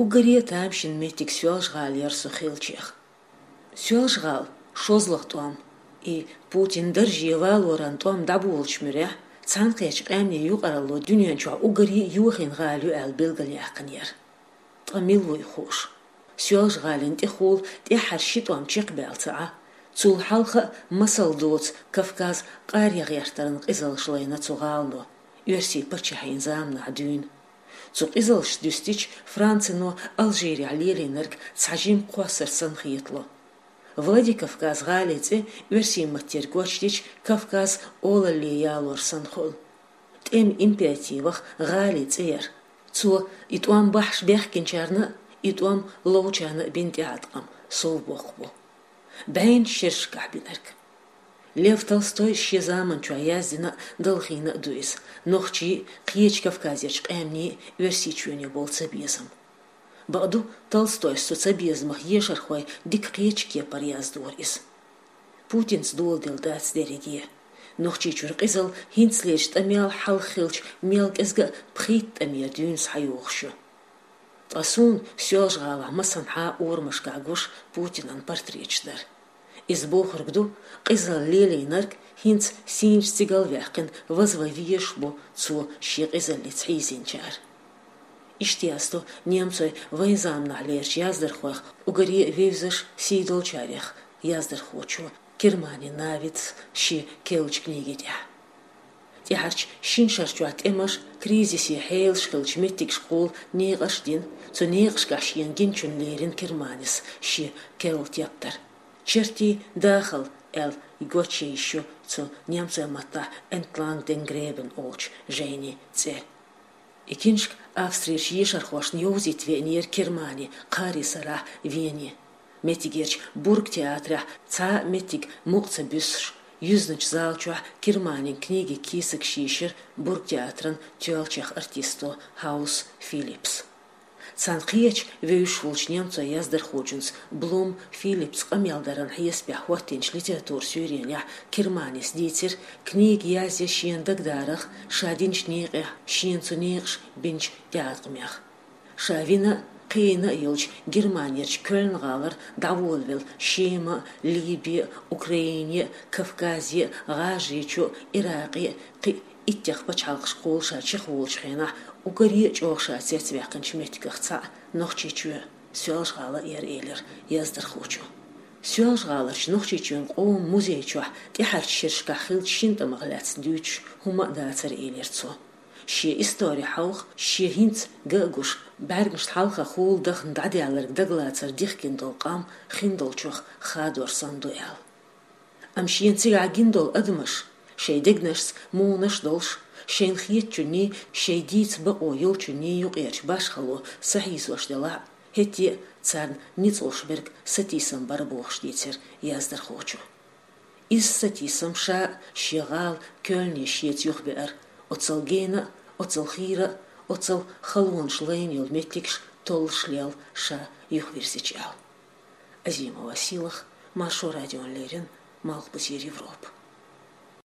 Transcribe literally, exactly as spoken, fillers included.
Уггаре тамашийна меттиг Соьлжа-ГӀала яр со хилчех. Соьлжа-ГӀала шозлагӀа тӀом, и Путин дарже валоран тӀом дӀаболалуча муьрехь, цхьаьнакхеттача къаьмнийн юкъаралло дуьнен чохь уггаре йохийна гӀала ю аьлла билгалъяьккхина яр. Ткъа мила вуй хууш? Соьлжа-ГӀалина тӀехула тӀаьххьара ши тӀом чекхбаьлла ца Ӏа, цул хьалха а масал доцу Кавказ къарегӀертаран къизаллаш лайна цу гӀалано, оьрсийн паччахьийн заманахь дуьйна. Цу къизаллашца дуьстича, Францино Алжирехь лелийнарг цхьа жима кхоссар санна хетало. Владикавказ гӀалин цӀе оьрсийн маттера гочдича, Кавказ олалле ялор санна хуьлу. ТӀеман императивах гӀалин цӀе яр. Цо и тӀом бахьаш баьхкинчарна а, и тӀом ловчарна а бина тӀеӀаткъам совбоккхуш бу. БӀаьннаш шерашкахь бинарг. Лев Толстой шен заманчохь яздина а, далхийна а ду иза, нохчийн а, кхечу Кавказерчу къаьмнийн а Оьрсийчоьне болу цабезам. Бакъду, Толстойс цу цабезамах ешархойн дика кхечу кепара яздора иза. Путинца доладелла дац дерриге. Нохчийчуьра къизалла хӀинцалерчу тӀамел хьалха хиллачу мел кӀезга а пхийтта тӀамера дуьйна схьайогӀуш ю. Ткъа суна Соьлжа-ГӀалахь массанхьа а урамашкахь гуш Путинан портреташ дара. Иза бохург ду, къизалла лелийнарг хӀинца сийначу цигал ваьккхина вазван везаш бу цо шен къизаллица хьийзинчара. Иштта яздо немцойн вайн заманахьлерчу яздархойх, уггаре а вевзаш, сий долчарех яздархочо Кермани Навиц шен керлачу книги тӀехь. ТӀаьхьарчу шина шарчохь тӀемаш, кризисан хьелаш хиллачу меттигашкахула некъаш а дина, цу некъашкахь шена гиначунна лерина Керманис шен керла тептар. «Чертий дахалла» аьлла гочйийш ю цу немцойн маттахь «Entlang dem Graben» олучу жайнин цӀе. И киншка Австрерчу ешархошна йовзийта веанера Кермани кхаарин сарахь Вене. Меттигерчу Бургтеатрехь цхьа а меттиг мукъа ца буьссуш, юьзначу зала чохь Керманин книгин кийсагаш йийшира Бургтеатран тоьллачех артисто Хаус Филиппс. Царна кхечу вевзаш волчу немцойн яздархочуьнца Блум Филиппс къамел даран хьесапехь хӀоттийначу литературан суьйренехь Керманис дийцира, книга язъе шена дагадарах, ша динчу некъех, шена цу некъаша бинчу тӀеӀаткъамех. Ша вина а, кхиийна а йолчу Германерчу Кёльн-гӀалара дӀаволавелла Шема а, Либи а, Украине а, Кавказе а, ГӀажарийчу а, Иракъе а, кхин иттех пачхьалкхашкахула ша чекхволучу хенахь, уггаре а чӀогӀа ша цецваьккхинчу меттигех цхьаъ Нохчийчоь, Соьлжа-ГӀала а яра, элира яздархочо. Соьлжа-ГӀаларчу Нохчийчоьнан къоман музей чохь тӀаьхьарчу шерашкахь хиллачу шина тӀамах лаьцна дуьйцуш хӀума а дацара, элира цо. Шен истори хьалха, шен хӀинца ган а гуш, бӀаьргашна хьалхахула дахна дӀадаьлларг дагалацар дихкина долу къам хиндолчух хадор санна ду аьлла. Амма шена цигахь гина долу адамаш, шайн дегнашца мунаш а долуш, шайна хетачунний, шайн дийца бакъо йолчунний юкъерчу башхало сахьийзош делахь а, хӀетте а царна ницкъ луш берг сатийсам бара бохуш дийцира яздархочо. Иза сатийсам ша а шен гӀала Кёльне шеца юхабеара, оццул гена а, оццул хийра а, оццул халонаш лайна йолу меттигаш толлуш лелла ша юхавирзича аьлла. Азимова Сийлаха, Маршо радиона леррина, Малхбузера Европа.